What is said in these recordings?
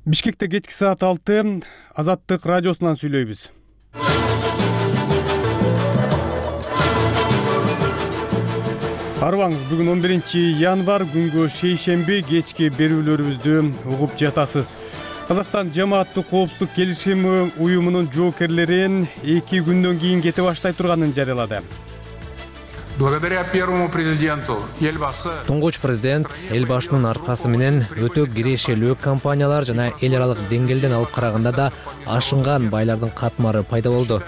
Бишкекте кечки саат 6 Азаттык радиосунан сүйлөйбүз. Арыбаңыз, бүгүн 11 январь күнгө шейшемби кечки берүүлөрүбүздү угуп жатасыз. Казакстан жамааттык коопсуздук келишими уюмунун жоокерлерин 2 күндөн кийин кете баштай турганын жарыялады. Благодаря первому президенту Элбасы. Туңгуч президент Элбашынын аркасы менен өтө кирешелүү компаниялар жана эл аралык деңгээлден алып караганда да ашынган байлардын катмары пайда болду.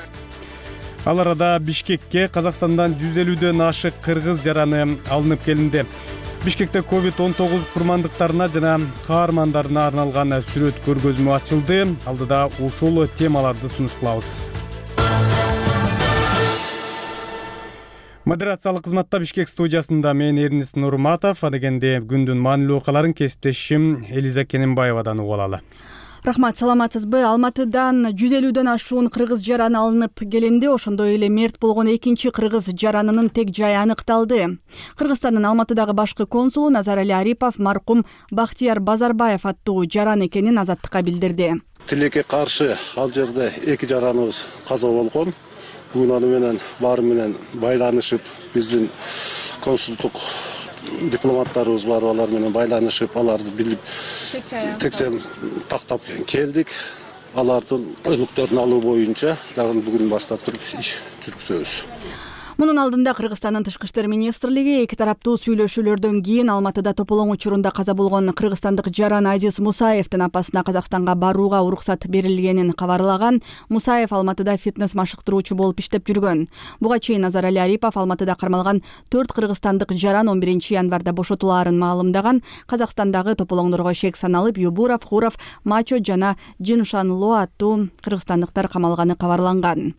Ал арада Бишкекке Казакстандан 150дөн ашык кыргыз жараны алынып келинди. Бишкекте COVID-19 курмандыктарына жана каармандарына арналган сүрөт көргөзмө ачылды. Алдыда ушул темаларды сунуш кылабыз. Модерациялык кызматта Бишкек студиясында мен Эрнис Нурматов, адегенде күндүн маанилүү окуяларын кесиптешим Элиза Кененбаевадан угуп алалы. Рахмат, саламатсызбы? Алматыдан 150дөн ашуун кыргыз жараны алынып келинди. Ошондой эле мерт болгон экинчи кыргыз жаранынын тег жайы аныкталды. Кыргызстандын Алматыдагы башкы консулу Назарали Арипов маркум Бактияр Базарбаев аттуу жаран экенин Азаттыкка билдирди. Тилекке каршы ал жерде 2 жараныбыз каза болгон. Бүгүн аны менен баары менен байланышып, биздин консулдук дипломаттарыбыз бар, алар менен байланышып, аларды билип текшерип тактап келдик. Алардын өлүктөрүн алуу боюнча дагы бүгүн баштап туруп иш жүргүзөбүз. Мунун алдында Кыргызстандын Тышкы иштер министрлиги 2 тараптуу сүйлөшүүлөрдөн кийин Алматыда тополоң учурунда каза болгон кыргызстандык жаран Азиз Мусаевдин апасына Казакстанга барууга уруксат берилгенин кабарлаган. Мусаев Алматыда фитнес машыктыруучу болуп иштеп жүргөн. Буга чейин Назарали Арипов Алматыда кармалган 4 кыргызстандык жаран 11 январда бошотулаарын маалымдаган. Казакстандагы тополоңдорго шек саналып Юбуров, Хуров, Мачо жана Джиншанло аттуу кыргызстандыктар камалганы кабарланган.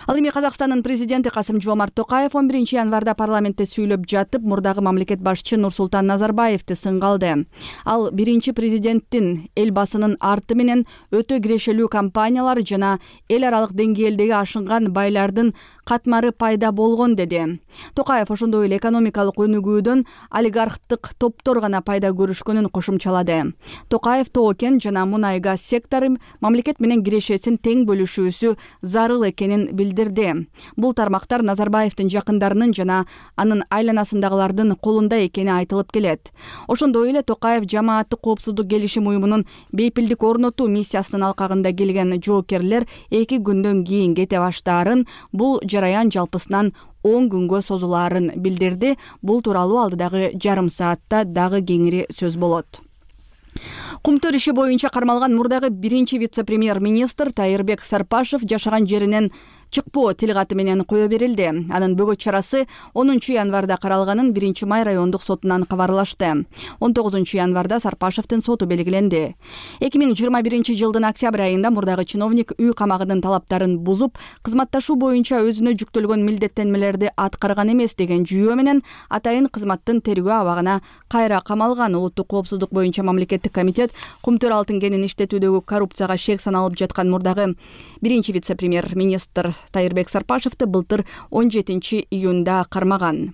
Ал эми Казакстандын президенти Касым-Жомарт Токаев 11 январда парламентте сүйлөп жатып, мурдагы мамлекет башчы Нурсултан Назарбаевди сынгалды. Ал биринчи президенттин Элбасынын арты менен өтө кирешелүү компаниялар жана эл аралык деңгээлдеги ашынган байлардын катмары пайда болгон деди. Токаев ошондой эле экономикалык өнүгүүдөн олигархтык топтор гана пайда көрүшкөнүн кошумчалады. Токаев тоо-кен жана мунай газ сектору мамлекет менен кирешесин тең бөлүшүүсү зарыл экенин билдирди. Бул тармактар Назарбаевдин жакындарынын жана анын айланасындагылардын колунда экени айтылып келет. Ошондой эле Токаев жамааттык коопсуздук келишим уюмунун бейпилдик орнотуу миссиясынын алкагында келген жоокерлер 2 күндөн кийин кете баштаарын, бул жараян жалпысынан 10 күнгө созулаарын билдирди. Бул тууралуу алдыдагы жарым саатта дагы кеңири сөз болот. Кумтөр иши боюнча кармалган мурдагы биринчи вице-премьер-министр Тайырбек Сарпашев жашаган жеринен чыкпоо тилгаты менен кое берилди. Анын бөгөт чарасы 10 январда каралганын 1 май райондук сотунан кабарлашты. 19 январда Сарпашевдин соту белгиленди. 2021 жылдын октябрь айында мурдагы чиновник үй камагынын талаптарын бузуп, кызматташуу боюнча өзүнө жүктөлгөн милдеттенмелерди аткарган эмес деген жүйөө менен атайын кызматтын тергөө абагына кайра камалган. Улуттук коопсуздук боюнча мамлекеттик комитет кумтөр алтын кенин иштетүүдөгү коррупцияга шек саналып жаткан мурдагы биринчи вице-премьер-министр Тайырбек Сарпашевди былтыр 17 июнда кармаган.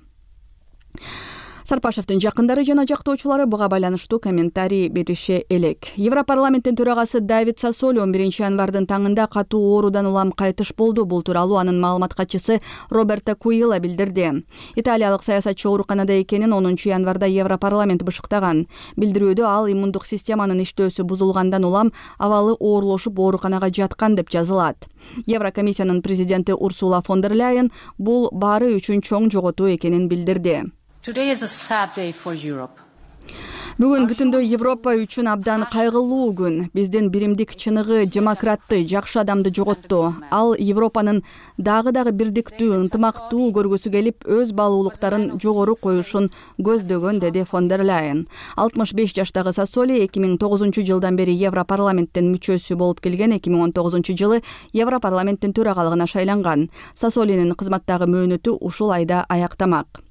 Сарпашевдин жакындары жана жактоочулары буга байланыштуу комментарий берише элек. Европарламенттин төрагасы Давид Сассоли 11 январдын таңында катуу оорудан улам кайтыш болду. Бул тууралуу анын маалымат катчысы Роберто Куила билдирди. Италиялык саясатчы ооруканада экенин 10 январда Европарламент бышыктаган. Билдирүүдө ал иммундук системанын иштөөсү бузулгандан улам абалы оорлошуп ооруканага жаткан деп жазылат. Еврокомиссиянын президенти Урсула фон дер Ляйен бул баары үчүн чоң жоготуу экенин билдирди. Today is a sad day for Europe. Бүгүн бүтүндөй Европа үчүн абдан кайгылуу күн. Биздин биримдик чыныгы демократты, жакшы адамды жоготту. Ал Европанын дагы бирдиктүү, ынтымактуу көргүсү келип, өз баалуулуктарын жогору коюшун көздөгөн, деди фон дер Ляйен. 65 жаштагы Сассоли 2009 жылдан бери Европарламенттин мүчөсү болуп келген. 2019 жылы Европарламенттин төрагалыгына шайланган. Сассолинин кызматтагы мөөнөтү ушул айда аяктамак.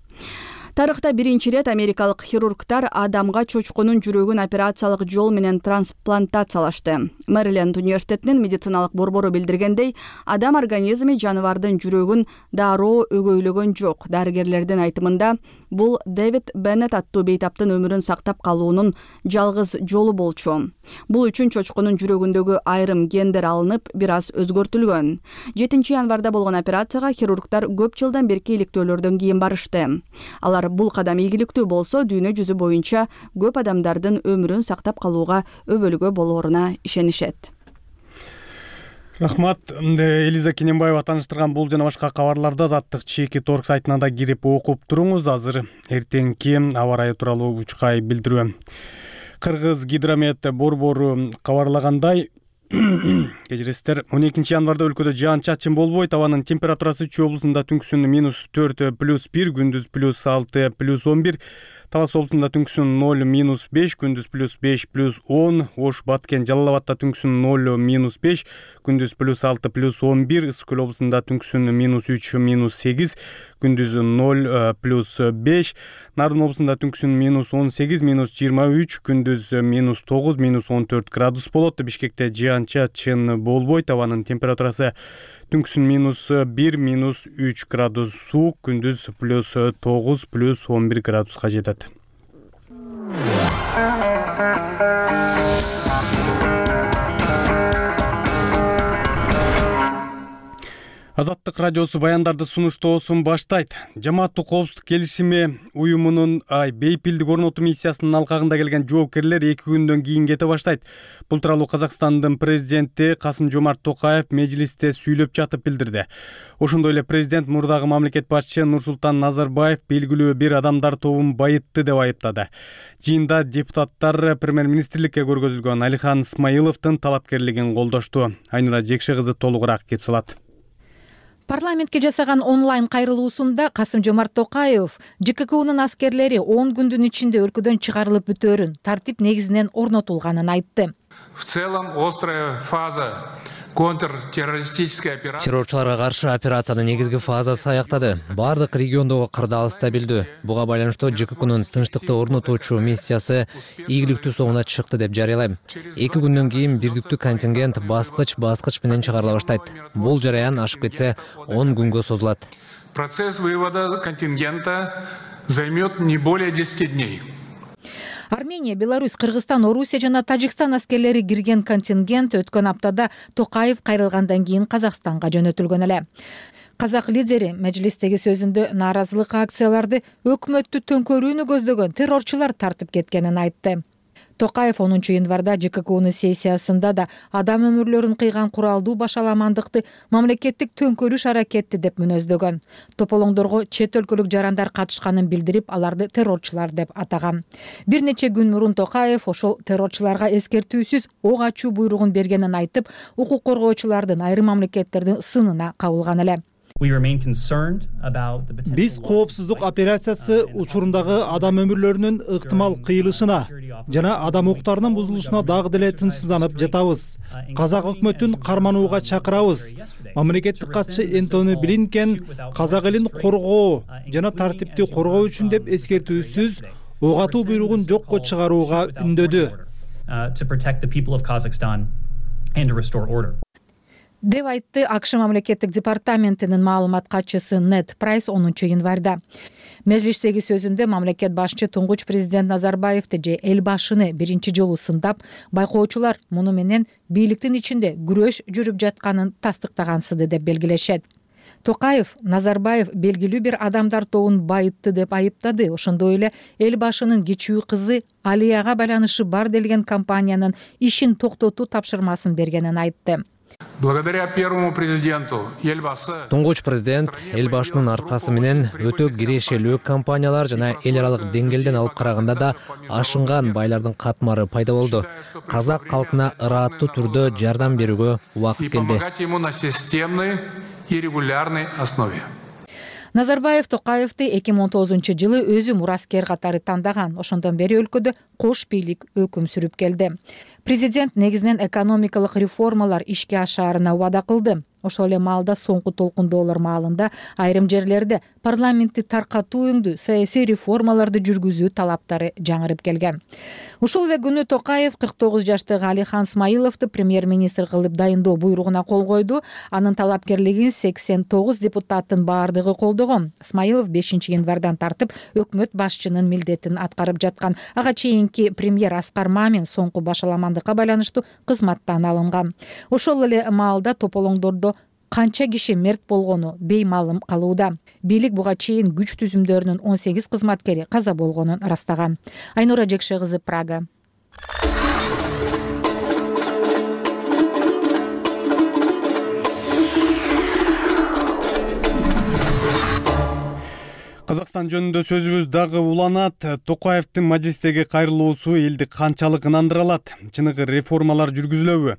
Тарыхта биринчи ирет америкалык хирургдар адамга чочконун жүрөгүн операциялык жол менен трансплантациялашты. Мэриленд университетинин медициналык борбору билдиргендей, адам организми жаныбардын жүрөгүн дароо өгөйлөгөн жок. Дарыгерлердин айтымында, бул Дэвид Беннет аттуу бейтаптын өмүрүн сактап калуунун жалгыз жолу болчу. Бул үчүн чочконун жүрөгүндөгү айрым гендер алынып, бир аз өзгөртүлгөн. 7 январда болгон операцияга хирургдар көп жылдан берки иликтөөлөрдөн кийин барышты. Алар бул кадам ийгиликтүү болсо, дүйнө жүзү боюнча көп адамдардын өмүрүн сактап калууга өбөлгө болооруна ишенишет. Рахмат. Элиза Кененбаева тааныштырган бул жана башка кабарларды Азаттык чеки торг сайтына да кирип окуп туруңуз. Азыр эртеңки аба ырайы тууралуу учкай билдирүү. Кыргыз гидромет борбору кабарлагандай, кечиресиздер, 12 январда өлкөдө жаан-чачын болбойт. Абанын температурасы Чүй облусунда түнкүсүн -4 +1, күндүз +6 +11, Талас облусунда түнкүсүн 0 -5, күндүз +5 +10, Ош, Баткен, Жалал Абадта түнкүсүн 0 -5, күндүз +6 +11, Ысык Көл облусунда түнкүсүн -3 -8, күндүз 0 +5, Нарын облусунда түнкүсүн -18 -23, күндүз -9 -14 градус болот. Бишкекте жаан-чачын болбойт. Абанын температурасы түнкүсүн -1 -3 градус суук, күндүз +9 +11 градуска жетет. Азаттык радиосу баяндарды сунуштоосун баштайт. Жамааттык коопсуздук келишими уюмунун бейпилдик орнотуу миссиясынын алкагында келген жоопкерлер 2 күндөн кийин кете баштайт. Бул тууралуу Казакстандын президенти Касым-Жомарт Токаев межлисте сүйлөп жатып билдирди. Ошондой эле президент мурдагы мамлекет башчы Нурсултан Назарбаев белгилүү бир адамдар тобун байытты деп айыптады. Жыйында депутаттар премьер-министрликке көргөзүлгөн Алихан Исмаиловдун талапкерлигин колдошту. Айнура Жекше кызы толугураак кеп салат. Парламентке жасаган онлайн кайрылуусунда Касым-Жомарт Токаев ЖККунун аскерлери 10 күндүн ичинде өлкөдөн чыгарылып бүтөөрүн, тартип негизинен орнотулганын айтты. В целом, острая фаза контртеррористической операции. Террорчуларга каршы операциянын негизги фазасы аяктады. Бардык региондогу кырдаал стабилдүү. Буга байланыштуу ЖККунун тынчтыкты орнотуучу миссиясы ийгиликтүү соңуна чыкты деп жарыялайм. 2 күндөн кийин бирдиктүү контингент баскыч менен чыгарыла баштайт. Бул жараян ашып кетсе 10 күнгө созулат. Процесс вывода контингента займет не более 10 дней. Армения, Беларусь, Кыргызстан, Орусия жана Тажикстан аскерлери кирген контингент өткөн аптада Токаев кайрылгандан кийин Казакстанга жөнөтүлгөн эле. Казак лидери мажлистеги сөзүндө нааразылык акцияларды өкмөттү төңкөрүүнү көздөгөн террорчулар тартып кеткенин айтты. Токаев 10 январда ЖККунун сессиясында да адам өмүрлөрүн кыйган куралдуу башаламандыкты мамлекеттик төңкөрүш аракети деп мүнөздөгөн. Тополоңдорго чет өлкөлүк жарандар катышканын билдирип, аларды террорчулар деп атаган. Бир нече күн мурун Токаев ошол террорчуларга эскертүүсүз ок ачуу буйругун бергенин айтып, укук коргоочулардын айрым мамлекеттердин сынына кабылган эле. Биз коопсуздук операциясы учурундагы адам өмүрлөрүнүн ыктымал кыйылышына жана адам укуктарынын бузулушуна дагы деле тынчсызданып жатабыз. Казак өкмөтүн карманууга чакырабыз. Мамлекеттик катчы Энтони Блинкен казак элин коргоо жана тартипти коргоо үчүн деп эскертүүсүз ок атуу буйругун жокко чыгарууга үндөдү. Деп айтты АКШ мамлекеттик департаментинин маалымат катчысы Нед Прайс 10 январда. Межлистеги сөзүндө мамлекет башчы туңгуч президент Назарбаевди же эл башыны биринчи жолу сындап, байкоочулар муну менен бийликтин ичинде күрөш жүрүп жатканын тастыктагансыды деп белгилешет. Токаев Назарбаев белгилүү бир адамдар тобун байытты деп айыптады. Ошондой эле эл башынын кичүү кызы Алияга байланышы бар делген компаниянын ишин токтотуу тапшырмасын бергенин айтты. Благодаря первому президенту Елбасы. Туңгуч президент эл башынын аркасы менен өтө кирешелүү компаниялар жана эл аралык деңгээлден алып караганда да ашынган байлардын катмары пайда болду. Казак калкына ырааттуу түрдө жардам берүүгө убакыт келди. Помогать ему на системной и регулярной основе. Назарбаев Токаевди 2019 жылы өзү мураскер катары тандаган. Ошондон бери өлкөдө кош бийлик өкүм сүрүп келди. Президент негизинен экономикалык реформалар ишке ашаарына убада кылды. ошол эле маалда соңку толкундоолор маалында айрым жерлерде парламентти таркатууңдүү саясий реформаларды жүргүзүү талаптары жаңырып келген. Ушул эле күнү Токаев 49 жаштагы Алихан Смайыловду премьер-министр кылып дайындоо буйругуна кол койду. Анын талапкерлигин 89 депутаттын баардыгы колдогон. Смайылов 5 январдан тартып өкмөт башчынын милдетин аткарып жаткан. Ага чейинки премьер Аскар Мамин соңку башаламандыкка байланыштуу кызматтан алынган. Ошол эле маалда тополоңдордо канча киши мерт болгону беймалым калууда. Бийлик буга чейин күч түзүмдөрүнүн 18 кызматкери каза болгонун ырастаган. Айнура Жекше кызы, Прага. Казакстан жөнүндө сөзүбүз дагы уланат. Токаевдин мажлистеги кайрылуусу элди канчалык ынандыра алат? Чыныгы реформалар жүргүзүлөбү?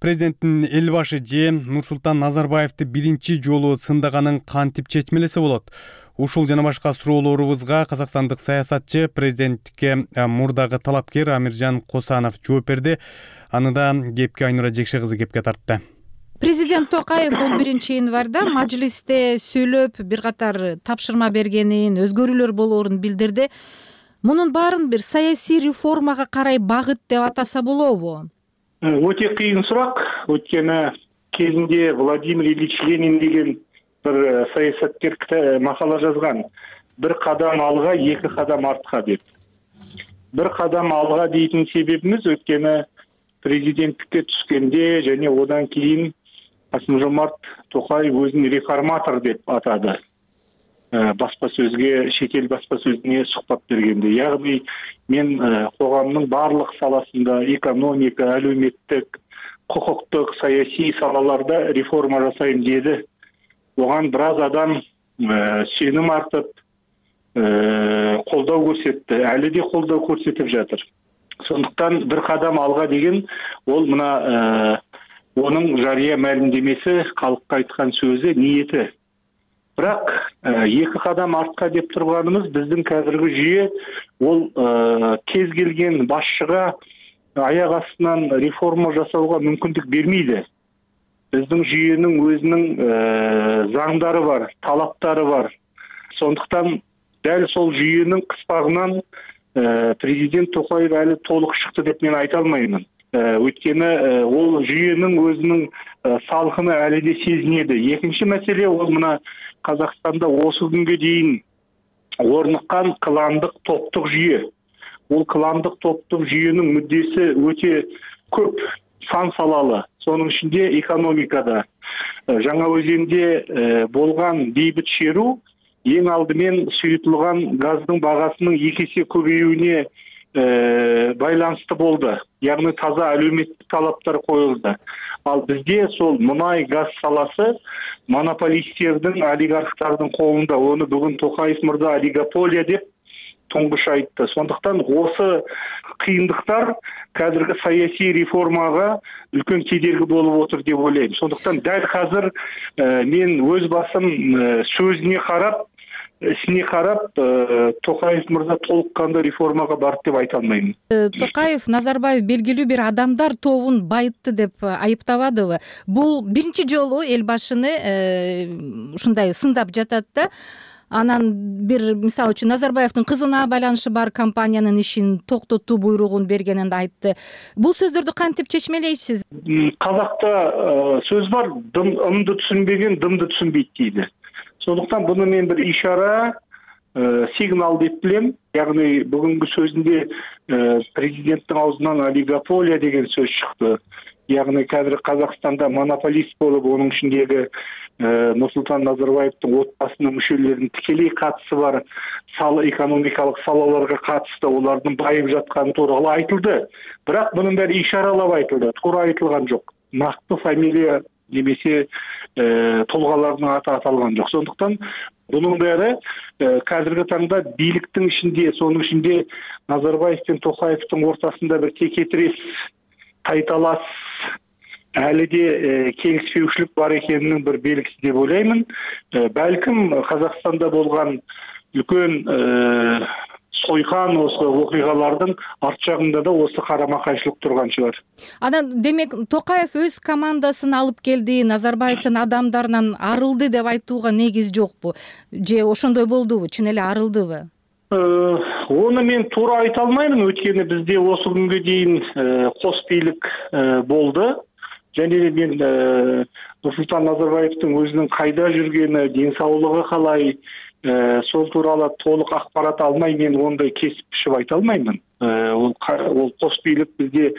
Президенттин эл башы же Нурсултан Назарбаевди биринчи жолу сындаганын кантип чечмелесе болот? Ушул жана башка суроолорубузга казакстандык саясатчы, президенттикке мурдагы талапкер Амиржан Косанов жооп берди. Аны да кепке Айнура Жекше кызы кепке тартты. Президент Токаев 11 январда мажлисте сөйлөп бир катар тапшырма бергенин, өзгөрүүлөр болоорун билдирди. Мунун баарын бир саясий реформага карай багыт деп атаса болобу? Өтө кыйын сурак. Өткөнү кезинде Владимир Ильич Ленин деген бир саясаткер макала жазган. Бир кадам алга, эки кадам артка деп. Бир кадам алга дейтин себебimiz өткөнү президенттикке түшкөндө және одан кийин Касым-Жомарт Токаев өзүн реформатор деп атады. Баспасөзгө, шетел баспасөзүнө сухбат бергенде. Ягни мен коомдун барлык саласында экономика, әлеуметтик, кукуктук, саясий салаларда реформа жасайм деди. Оган бир аз адам сеним артып, колдоо көрсөттү. Әлі де колдоо көрсөтүп жатыр. Сондықтан бір қадам алға деген ол мына оның жария мәлімдемесі, халыққа айтқан сөзі, ниеті. Бірақ екі қадам артқа деп тұрғанымыз біздің қазіргі жүйе ол кез келген басшыға аяқ астынан реформа жасауға мүмкіндік бермейді. Біздің жүйенің өзінің заңдары бар, талаптары бар. Сондықтан дәл сол жүйенің қыспағынан президент Токаев әлі толық шықты деп мен айта алмаймын. Өйткені ол жүйенің өзінің салқыны әлі де сезінеді. Екінші мәселе ол мына Қазақстанда осы күнге дейін орныққан кландық топтық жүйе. Ол кландық топтық жүйенің мүддесі өте көп, сан салалы. Соның ішінде экономикада. Жаңаөзенде болған бейбіт шеру ең алдымен сұйытылған газдың бағасының 2 есе көбеюіне байланысты болды. Яғни таза әлеуметтік талаптар қойылды. Ал бізде сол мұнай газ саласы монополистердің, олигархтардың қолында. Оны бүгін Токаев мырза олигополия деп тұңғыш айтты. Сондықтан осы қиындықтар қазіргі саяси реформаға үлкен кедергі болып отыр деп ойлаймын. Сондықтан дәл қазір мен өз басым сөзіне қарап, ісіне қарап, Токаев мырза толыққанды реформаға барды деп айта алмаймын. Токаев Назарбаев белгилүү бир адамдар тобун байытты деп айыптабадыбы? Бул биринчи жолу эл башыны ушундай сындап жатат да. Анан бир мисалы үчүн Назарбаевдин кызына байланышы бар компаниянын ишин токтотуу буйругун бергенин айтты. Бул сөздөрдү кантип чечмелейсиз? Казакта сөз бар, ымды түшүнбеген дымды түшүнбейт дейди. Сондықтан бұны мен бір ишара, сигнал деп білем. Яғни бүгінгі сөзінде президенттің аузынан олигополия деген сөз шықты. Яғни қазір Қазақстанда монополист болып, оның ішіндегі Нурсултан Назарбаевтың отбасының мүшелерінің тікелей қатысы бар экономикалық салаларға қатысты, олардың байып жатқаны туралы айтылды. Бірақ бұның бәрі ишаралап айтылды, тура айтылған жоқ. Нақты фамилия немесе толғалардың аты аталған жоқ. Сондықтан бұның бәрі қазіргі таңда биліктің ішінде, соның ішінде Назарбаев пен Токаевтың ортасында бір текетірес, тайталас, әлі де келіспеушілік бар екенінің бір белгісі деп ойлаймын. Бәлкім Қазақстанда болған үлкен сойкан осы окуйгалардын арт жагында да осы карама кайшылык турган шығар. Анан демек Токаев өз командасын алып келди, Назарбаевдин адамдарынан арылды деп айтууга негиз жокпу? Же ошондой болдубу? Чын эле арылдыбы? Оны мен туура айта алмаймын, өткені бізде осы күнгө дейін кос бийлик болды. Және мен Нурсултан Назарбаевдин өзүнүн кайда жүргени, ден соолугу калай, сол тууралуу толук акпарат алмай мен ондай кесип бишип айта алмаймын. Ол кос бийлик бизде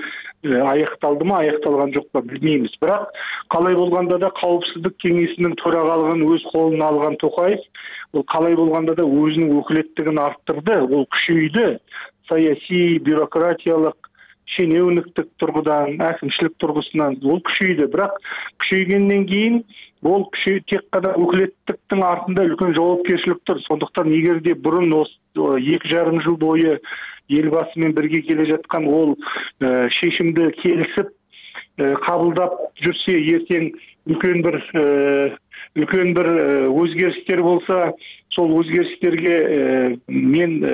аякталдымы, аякталган жокпу билбейбиз. Бирок калай болгондо да Коопсуздук кеңесинин төрагалыгын өз колуна алган Токаев, ол калай болгондо да өзүнүн өкүлеттигин арттырды, ол күчөйдү. Саясий, бюрократиялык, шенеуніктік тұрғыдан, әкімшілік тұрғысынан ол күшейді. Бірақ күшейгеннен кейін ол тек қана өкілеттіктің артында үлкен жауапкершілік тұр. Сондықтан егер де бұрын 2,5 жыл бойы елбасымен бірге келе жатқан ол шешімді келісіп қабылдап жүрсе, ертең үлкен бір өзгерістер болса, сол өзгерістерге мен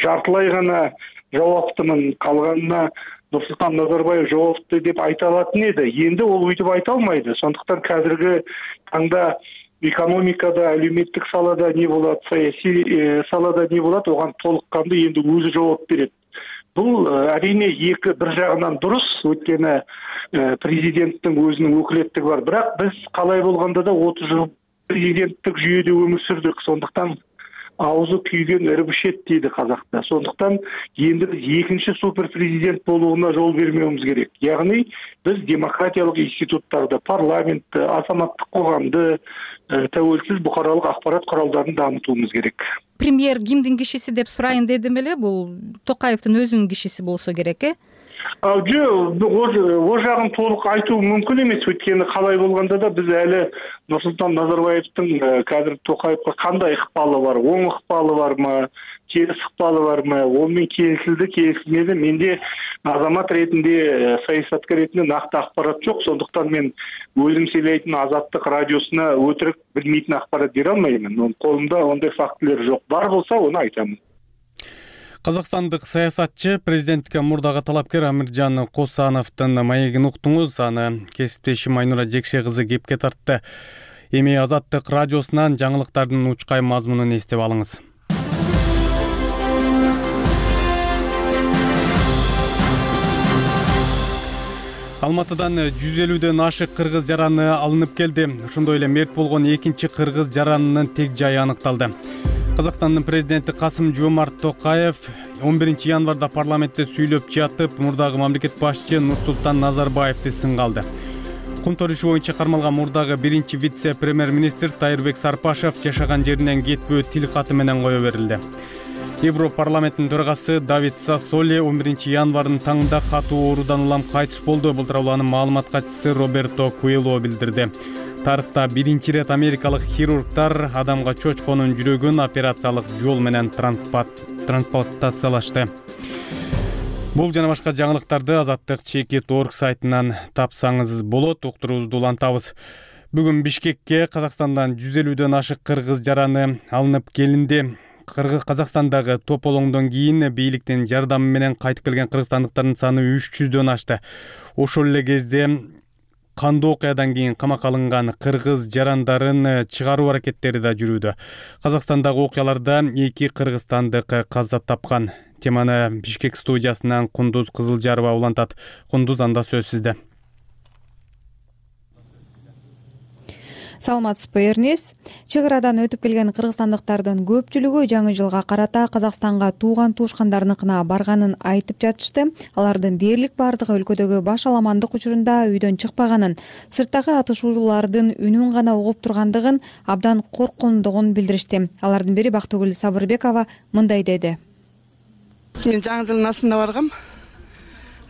жартылай ғана жауаптымын, қалғанына Нурсултан Назарбаев жауапты деп айта алатын еді. Енді ол өйтіп айта алмайды. Сондықтан қазіргі таңда экономикада, әлеуметтік салада не болады, саяси салада не болады, оған толыққанды енді өзі жауап береді. Бұл әрине бір жағынан дұрыс, өйткені президенттің өзінің өкілеттігі бар. Бірақ біз қалай болғанда да 30 жыл президенттік жүйеде өмір сүрдік. Сондықтан аузы күйген ірбішет дейді қазақта. Сондықтан енді біз екінші супер президент болуына жол бермеуіміз керек. Яғни біз демократиялық институттарды, парламентті, азаматтық қоғамды, тәуелсіз бұқаралық ақпарат құралдарын дамытуымыз керек. Премьер кимдин кишиси деп сурайын дедим эле, бул Токаевдин өзүнүн кишиси болсо керек, О жағын толық айту мүмкін емес, өйткені қалай болғанда да біз әлі Нурсултан Назарбаевтың қазір Токаевқа қандай ықпалы бар, оң ықпалы бар ма, теріс ықпалы бар ма, онымен келісілді, келісілмеді. Менде азамат ретінде, саясаткер ретінде нақты ақпарат жоқ, сондықтан мен өзім сөйлейтін Азаттық радиосына өтірік білмейтін ақпарат бере алмаймын. Қолымда ондай фактілер жоқ. Бар болса, оны айтамын. Казакстандык саясатчы президенттикке мурдагы талапкер Амиржан Косановдун маегин уктуңуз, аны кесиптешим Айнура Жекше кызы кепке тартты. Эми Азаттык радиосунан жаңылыктардын учкай мазмунун эстеп алыңыз. Алматыдан 150дөн ашык кыргыз жараны алынып келди. Ошондой эле мерт болгон экинчи кыргыз жаранынын тег жайы аныкталды. Казакстандын президенти Касым-Жомарт Токаев 11 январда парламентте сүйлөп жатып, мурдагы мамлекет башчы Нурсултан Назарбаевди сынга алды. Кумтор иши боюнча кармалган мурдагы биринчи вице-премьер-министр Тайырбек Сарпашев жашаган жеринен кетпөө тил каты менен кое берилди. Европарламенттин төрагасы Давид Сассоли 11 январдын таңында катуу оорудан улам кайтыш болду. Бул тууралуу анын маалымат катчысы Роберто Куэло билдирди. Тарыхта биринчи ирет америкалык хирургдар адамга чочконун жүрөгүн операциялык жол менен трансплантациялашты. Бул жана башка жаңылыктарды Азаттык Чекит.org сайтынан тапсаңыз болот. Уктуруубузду улантабыз. Бүгүн Бишкекке Казакстандан 150дөн ашык кыргыз жараны алынып келинди. Казакстандагы тополоңдон кийин бийликтин жардамы менен кайтып келген кыргызстандыктардын саны 300дөн ашты. Ошол эле кезде кандуу окуядан кийин камакка алынган кыргыз жарандарын чыгаруу аракеттери да жүрүүдө. Казакстандагы окуяларда 2 кыргызстандык каза тапкан. Теманы Бишкек студиясынан Кундуз Кызылжарова улантат. Кундуз, анда сөз сизде. Саламатсызбы, Эрнис. Чек арадан өтүп келген кыргызстандыктардын көпчүлүгү жаңы жылга карата Казакстанга тууган туушкандарыныкына барганын айтып жатышты. Алардын дээрлик бардыгы өлкөдөгү баш аламандык учурунда үйдөн чыкпаганын, сырттагы атышуулардын үнүн гана угуп тургандыгын, абдан корккондугун билдиришти. Алардын бири Бактыгүл Сабырбекова мындай деди. Мен жаңы жылдын асында баргам.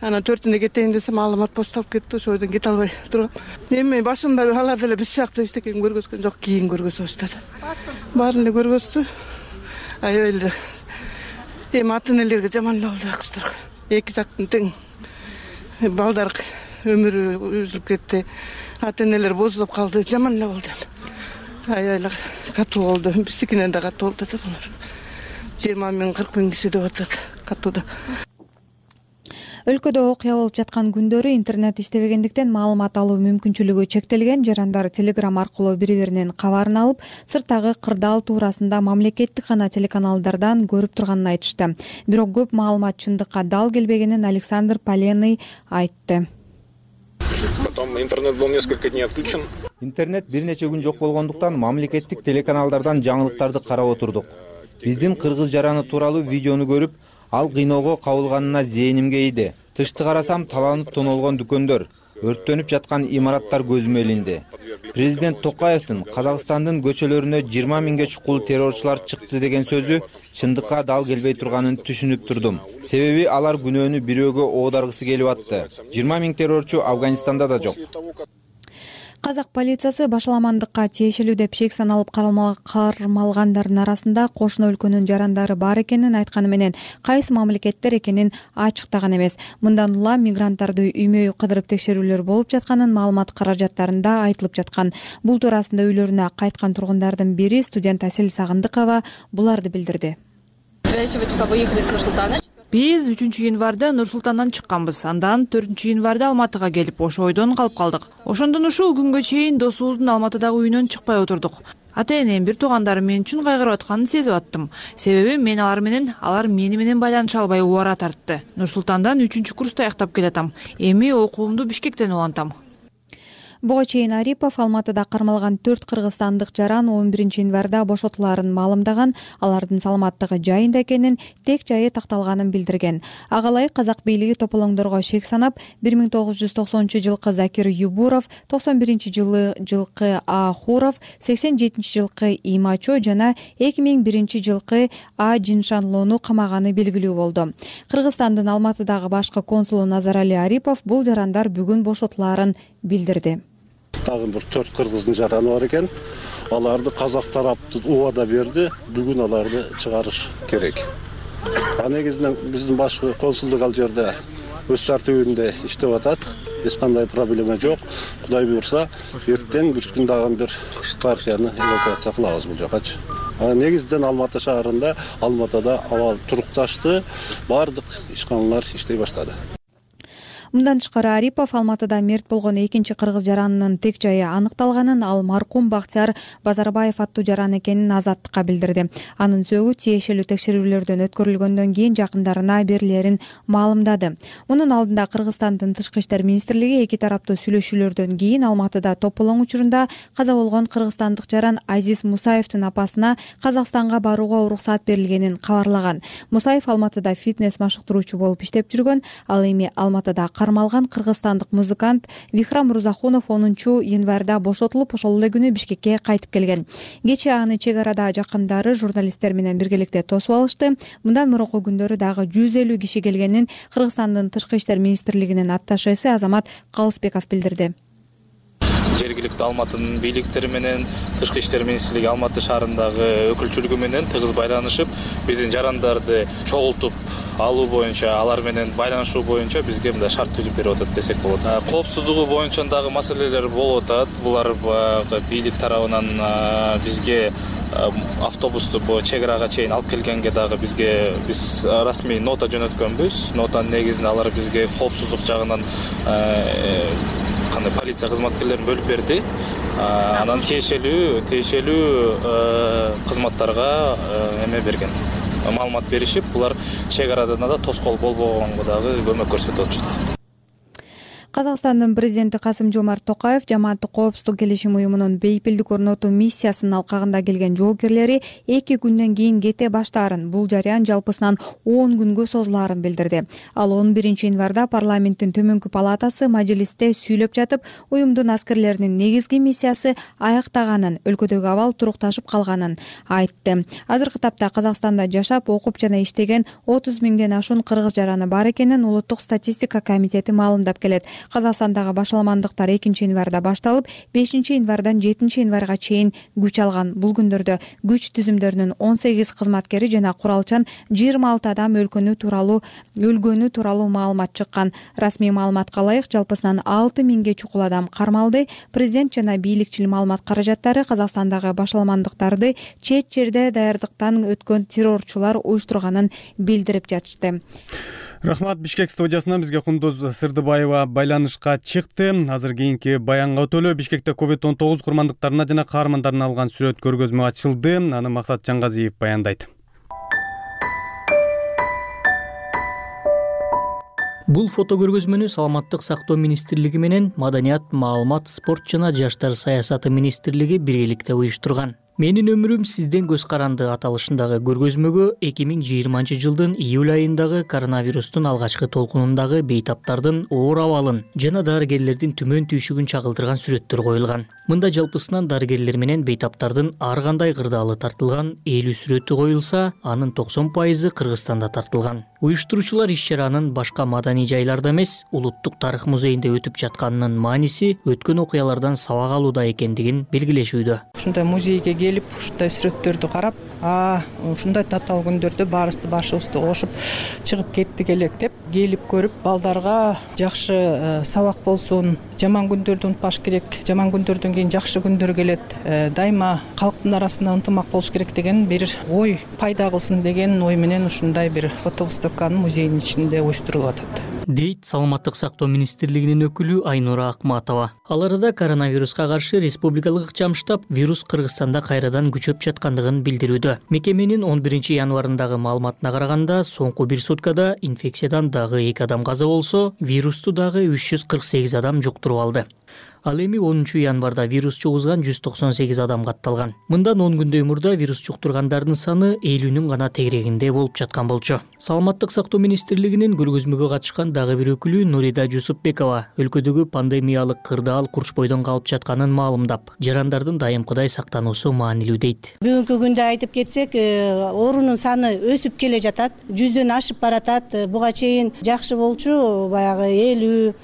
Ана 4-түндө кетейин десем, маалымат посталып кетти, ошойдон кете албай тургам. Эми башында алар деле биз сыяктуу эчтеке көргөзгөн жок, кийин көргөзө баштады. Баарын эле көргөздү. Аялды. Эми ата-энелерге жаман эле болду акчтар. Эки жактын тең. Балдар өмүрү үзүлүп кетти. Ата-энелер бозулуп калды, жаман эле болду. Аялдар катуу болду. Биздикинен да катуу болду да булар. 20 миң 40 миң киши деп атат катууда. Өлкөдө окуя болуп жаткан күндөрү интернет иштебегендиктен маалымат алуу мүмкүнчүлүгү чектелген жарандар Telegram аркылуу бири-биринин кабарын алып, сырттагы кырдаал туурасында мамлекеттик гана телеканалдардан көрүп турганын айтышты. Бирок көп маалымат чындыкка дал келбегенин Александр Поленный айтты. Потом интернет был несколько дней отключен. Интернет бир нече күн жок болгондуктан мамлекеттик телеканалдардан жаңылыктарды карап отурдук. Биздин кыргыз жараны тууралуу видеону көрүп, ал кыйноого кабылганына зээнимге ийди. Тышты карасам, таланып тоноолгон дүкөндөр, өрттөнүп жаткан имараттар көзүмө илинди. Президент Токаевдин Казакстандын көчөлөрүнө 20 миңге чукул террорчулар чыкты деген сөзү чындыкка дал келбей турганын түшүнүп турдум. Себеби алар күнөөнү бирөөгө оодаргысы келип атты. 20 миң террорчу Афганистанда да жок. Казак полициясы башаламандыкка тиешелүү деп шек саналып кармалгандардын арасында кошуна өлкөнүн жарандары бар экенин айтканы менен, кайсы мамлекеттер экенин ачыктаган эмес. Мындан улам мигранттарды үймө-үй кыдырып текшерүүлөр болуп жатканын маалымат каражаттарында айтылып жаткан. Бул туурасында үйлөрүнө кайткан тургундардын бири студент Асель Сагындыкова буларды билдирди. 3 числа выехали с Нур-Султана. Биз 3-январда Нур-Султандан чыкканбыз. Андан 4-январда Алматыга келип, ошо ойдон калып калдык. Ошондон ушул күнгө чейин досубуздун Алматыдагы үйүнөн чыкпай отурдук. Ата-энем, бир туугандарым мен үчүн кайгырып атканын сезип аттым. Себеби мен алар мени менен байланыша албай убара тартты. Нур-Султандан 3-курста аяктап келатам. Эми окуумду Бишкектен улантам. Буга чейин Арипов Алматыда кармалган 4 кыргызстандык жаран 11-январда бошотулаарын маалымдаган, алардын саламаттыгы жайында экенин, тек жайы такталганын билдирген. Агалай казак бийлиги тополоңдорго шек санап, 1990-жылкы Закир Юбуров, 91-жылкы Ахуров, 87-жылкы Имачо жана 2001-жылкы А Жиншанлоону камаганы белгилүү болду. Кыргызстандын Алматыдагы башкы консулу Назарали Арипов бул жарандар бүгүн бошотулаарын билдирди. Дагы бир 4 кыргыздын жараны бар экен. Аларды казак тарапты убада берди. Бүгүн аларды чыгарыш керек. Негизинен биздин башкы консулдук ал жерде өз тартибинде иштеп атат. Эч кандай проблема жок. Кудай буйрса, эртең бир күн дагы бир партияны эвакуация кылабыз бул жакачы. Негизинен Алматы шаарында, Алматыда абал турукташты, бардык ишканалар иштей баштады. Мындан тышкары Арипов Алматыда мерт болгон экинчи кыргыз жаранынын тек жайы аныкталганын, ал маркум Бактияр Базарбаев аттуу жаран экенин Азаттыкка билдирди. Анын сөөгү тиешелүү текшерүүлөрдөн өткөрүлгөндөн кийин жакындарына берилерин маалымдады. Мунун алдында Кыргызстандын Тышкы иштер министрлиги эки тараптуу сүйлөшүүлөрдөн кийин Алматыда тополоң учурунда каза болгон кыргызстандык жаран Азиз Мусаевдин апасына Казакстанга барууга уруксат берилгенин кабарлаган. Мусаев Алматыда фитнес машыктыруучу болуп иштеп жүргөн, ал эми Алматыда кармалган кыргызстандык музыкант Вихрам Мурзахунов 10-январда бошотулуп, ошол эле күнү Бишкекке кайтып келген. Кечээ аны чек арада жакындары журналисттер менен биргеликте тосуп алышты. Мындан мурунку күндөрү дагы 150 киши келгенин Кыргызстандын Тышкы иштер министрлигинин атташеси Азамат Калысбеков билдирди. Жергиликтүү Алматынын бийликтери менен Тышкы иштер министрлиги Алматы шаарындагы өкүлчүлүгү менен тыгыз байланышып, биздин жарандарды чогултуп алуу боюнча, алар менен байланышуу боюнча бизге мындай шарт түзүп берип атат десек болот. Коопсуздугу боюнча дагы маселелер болуп атат. Булар бийлик тарабынан бизге автобусту чек арага чейин алып келгенге дагы биз расмий нота жөнөткөнбүз. Нотанын негизинде алар бизге коопсуздук жагынан кандай полиция кызматкерлерин бөлүп берди. Анан тиешелүү кызматтарга эме берген. Маалымат беришип, булар чек арадан да тоскоол болбогонго дагы көмөк көрсөтүп атышат. Казакстандын президенти Касым-Жомарт Токаев жамааттык коопсуздук келишим уюмунун бейпилдик орнотуу миссиясынын алкагында келген жоокерлери 2 күндөн кийин кете баштаарын, бул жарыян жалпысынан 10 күнгө созулаарын билдирди. Ал 11-январда парламенттин төмөнкү палатасы мажилисте сүйлөп жатып, уюмдун аскерлеринин негизги миссиясы аяктаганын, өлкөдөгү абал турукташып калганын айтты. Азыркы тапта Казакстанда жашап, окуп жана иштеген 30 миңден ашуун кыргыз жараны бар экенин Улуттук статистика комитети маалымдап келет. Казакстандагы башаламандыктар 2-январда башталып, 5-январдан 7-январга чейин күч алган. Бул күндөрдө күч түзүмдөрүнүн 18 кызматкери жана куралчан 26 адам өлгөнү тууралуу маалымат чыккан. Расмий маалыматка ылайык жалпысынан 6000ге чукул адам кармалды. Президент жана бийликчил маалымат каражаттары Казакстандагы башаламандыктарды чет жерде даярдыктан өткөн террорчулар уюштурганын билдирип жатышты. Рахмат. Бишкек студиясынан бизге Кундуз Сырдыбаева байланышка чыкты. Азыр кийинки баянга өтөлү. Бишкекте COVID-19 курмандыктарына жана каармандарына алган сүрөт көргөзмө ачылды. Аны Максат Жаңгазиев баяндайт. Бул фото көргөзмөнү Саламаттык сактоо министрлиги менен Маданият, маалымат, спорт жана жаштар саясаты министрлиги биргеликте уюштурган. Менин өмүрүм сизден көз каранды аталышындагы көргөзмөгө 2020 жылдын июль айындагы коронавирустун алгачкы толкунундагы бейтаптардын оор абалын жана дарыгерлердин түмөн түйшүгүн чагылдырган сүрөттөр коюлган. Мында жалпысынан дарыгерлер менен бейтаптардын ар кандай кырдаалы тартылган 50 сүрөтү коюлса, анын 90% Кыргызстанда тартылган. Уюштуруучулар иш-чаранын башка маданий жайларда эмес, Улуттук тарых музейинде өтүп жатканынын мааниси өткөн окуялардан сабак алууда экендигин белгилешүүдө. Ушундай музейге келип, ушундай сүрөттөрдү карап, ушундай татаал күндөрдө башыбызды кошуп чыгып кеттик элек деп келип көрүп, балдарга жакшы сабак болсун, жаман күндөрдү унутпаш керек, жаман күндөрдөн кийин жакшы күндөр келет, дайыма калктын арасында ынтымак болуш керек деген бир ой пайда кылсын деген ой менен ушундай бир фотовыставканы музейдин ичинде уюштурулуп атат. Дейт Саламаттык сактоо министрлигинин өкүлү Айнура Акматова. Ал арада коронавируска каршы республикалык ыкчам штаб вирус Кыргызстанда кайрадан күчөп жаткандыгын билдирүүдө. Мекеменин 11 январындагы маалыматына караганда, соңку бир суткада инфекциядан дагы 2 адам каза болсо, вирусту дагы 348 адам жуктуруп алды. Ал эми 10 январда вирус чугузган 198 адам катталган. Мындан 10 күндөй мурда вирус жуктургандардын саны 50-нүн гана тегерегинде болуп жаткан болчу. Саламаттык сактоо министрлигинин көргөзмөгө катышкан дагы бир өкүлү Нурида Жусупбекова өлкөдөгү пандемиялык кырдаал курч бойдон калып жатканын маалымдап, жарандардын дайымкыдай сактануусу маанилүү дейт. Бүгүнкү күндө айтып кетсек, оорунун саны өсүп келе жатат, 100дөн ашып баратат. Буга чейин жакшы болчу, баягы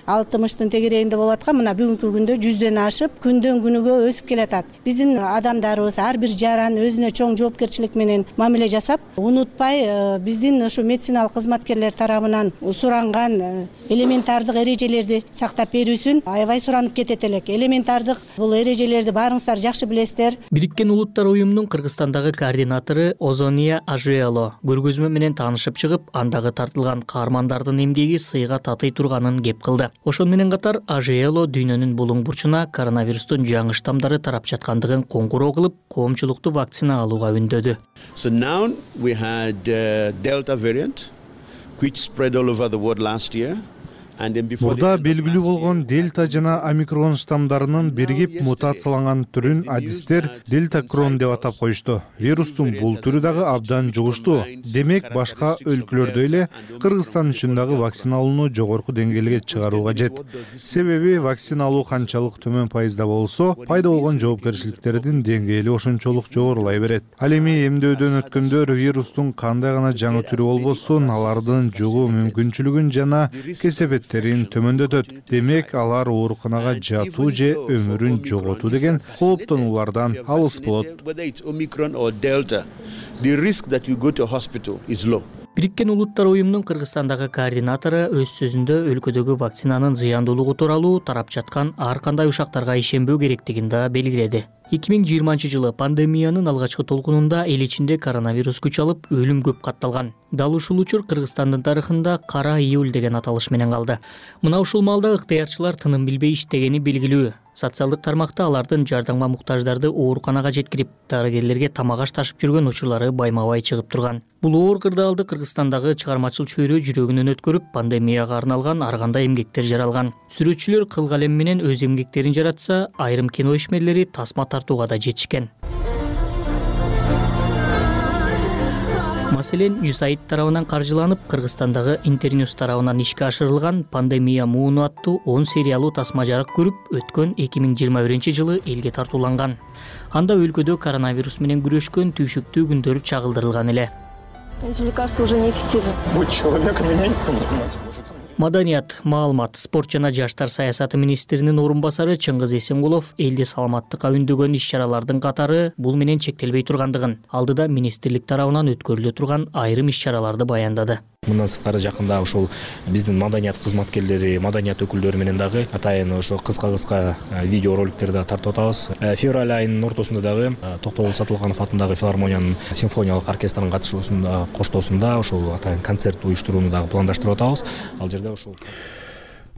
50-60-тын тегерегинде болуп аткан, мына бүгүнкү күндө 100дөн ашып, күндөн күнүгө өсүп келатат. Биздин адамдарыбыз ар бир жаран өзүнө чоң жоопкерчилик менен мамиле жасап, унутпай биздин ушу медициналык кызматкерлер тарабынан суранган элементардык эрежелерди сактап берүүсүн аябай суранып кетет элек. Элементардык бул эрежелерди баарыңыздар жакшы билесиздер. Бириккен Улуттар уюмунун Кыргызстандагы координатору Озония Ажиело көргөзмө менен таанышып чыгып, андагы тартылган каармандардын эмгеги сыйга татый турганын кеп кылды. Ошон менен катар Ажиело дүйнөнүн булуң бурчуна коронавирустун жаңы штамдары тарап жаткандыгын коңгуроо кылып, коомчулукту вакцина алууга үндөдү. So now we had Delta variant which spread all over the world last year. Мурда белгилүү болгон дельта жана омикрон штамдарынын биригип мутацияланган түрүн адистер дельта крон деп атап коюшту. Вирустун бул түрү дагы абдан жугуштуу. Демек, башка өлкөлөрдөй эле Кыргызстан үчүн дагы вакцина алууну жогорку деңгээлге чыгаруу кажет. Себеби вакцина алуу канчалык төмөн пайызда болсо, пайда болгон жоопкерчиликтердин деңгээли ошончолук жогорулай берет. Ал эми эмдөөдөн өткөндөр вирустун кандай гана жаңы түрү болбосун, алардын жугуу мүмкүнчүлүгүн жана кесепет төмөндөтөт. Демек, алар ооруканага жатуу же өмүрүн жоготуу деген кооптонуулардан алыс болот. Бириккен Улуттар уюмунун Кыргызстандагы координатору өз сөзүндө өлкөдөгү вакцинанын зыяндуулугу тууралуу тарап жаткан ар кандай ушактарга ишенбөө керектигин да белгиледи. 2020 жылы пандемиянын алгачкы толкунунда эл ичинде коронавирус күч алып, өлүм көп катталган. Дал ушул учур Кыргызстандын тарыхында кара июль деген аталыш менен калды. Мына ушул маалда ыктыярчылар тыным билбей иштегени белгилүү. Социалдык тармакта алардын жардамга муктаждарды ооруканага жеткирип, дарыгерлерге тамак аш ташып жүргөн учурлары байма-бай чыгып турган. Бул оор кырдаалды Кыргызстандагы чыгармачыл чөйрө жүрөгүнөн өткөрүп, пандемияга арналган ар кандай эмгектер жаралган. Сүрөтчүлөр кыл калем менен өз эмгектерин жаратса, айрым кино ишмерлери тасма тартууга да жетишкен. Маселен, USAID тарабынан каржыланып, Кыргызстандагы Интерньюз тарабынан ишке ашырылган пандемия мууну аттуу 10 сериялуу тасма жарык көрүп, өткөн 2021 жылы элге тартууланган. Анда өлкөдө коронавирус менен күрөшкөн түйшүктүү күндөр чагылдырылган эле. Эти лекарства уже неэффективны. Будь человеком и не понимать может. Маданият, маалымат, спорт жана жаштар саясаты министринин орун басары Чыңгыз Эсенгулов элди саламаттыкка үндөгөн иш-чаралардын катары бул менен чектелбей тургандыгын, алдыда министрлик тарабынан өткөрүлө турган айрым иш-чараларды баяндады. Мындан сырткары жакында ушул биздин маданият кызматкерлери, маданият өкүлдөрү менен дагы атайын ошо кыска видео роликтерди да тартып атабыз. Февраль айынын ортосунда дагы Токтогул Сатылганов атындагы филармониянын симфониялык оркестринин катышуусунда коштоосунда ушул атайын концерт уюштурууну дагы пландаштырып атабыз. Ал жерде ушул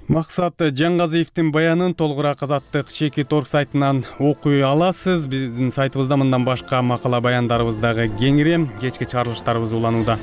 Максат Жаңгазиевдин баянын толугураак Азаттык Чекит орг сайтынан окуй аласыз. Биздин сайтыбызда мындан башка макала баяндарыбыз дагы кеңири. Кечки чыгарылыштарыбыз уланууда.